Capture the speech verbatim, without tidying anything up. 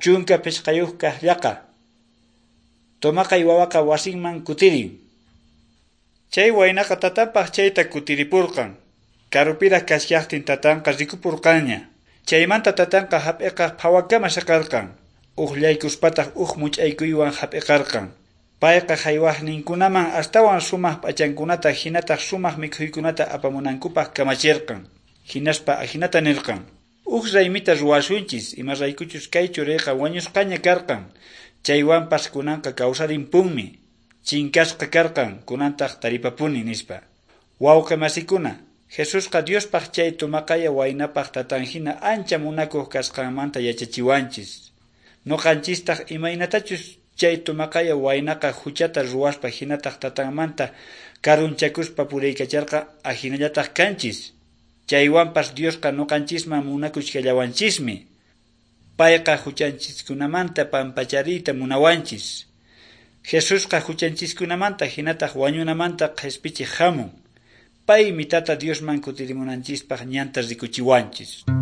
Chunka pichqayuq kaq llaqa. Tomaqay wawaqa wasinman kutirin. Chay waynaqa tatanpaq chayta kutiripurqan. Karupiraq kashaqtin tatanqa rikupurqanña. Chaymanta tatanqa hap'iqaq phawakama saqarqan. Uqllaykuspataq uq much'aykuywan hap'iqarqan. Payqa haywaqninkunaman astawan sumaq p'achankunata hinataq sumaq mikhuykunata apamunankupaq kamachirqan. Hinaspa ahinata nirqan: Uq raymita ruwasunchis, imaraykuchus kay churiyqa wañusqaña karqan, chaywanpas kunanqa kawsarimpunmi, chinkasqa karqan, kunantaq taripapuni, nispa. Wawqi masikuna, Jesusqa Diospaq chay tumaqaya waynapaq tatan hina ancha munakuq kasqanmanta yachachiwanchis. Nuqanchistaq imaynatachus chay tumaqaya waynaqa huchata ruwaspa hinataq tatanmanta karunchakuspa puriykacharqa ahinallataq kanchis. Chaywanpas Diosqa nuqanchisman munakuchkallawanchismi. Payqa huchanchiskunamanta pampachariyta munawanchis. Jesusqa huchanchiskunamanta hinataq wañunamanta qhispichiq hamun. Paymi Tata Diosman kutirimunanchispaq ñanta rikuchiwanchis.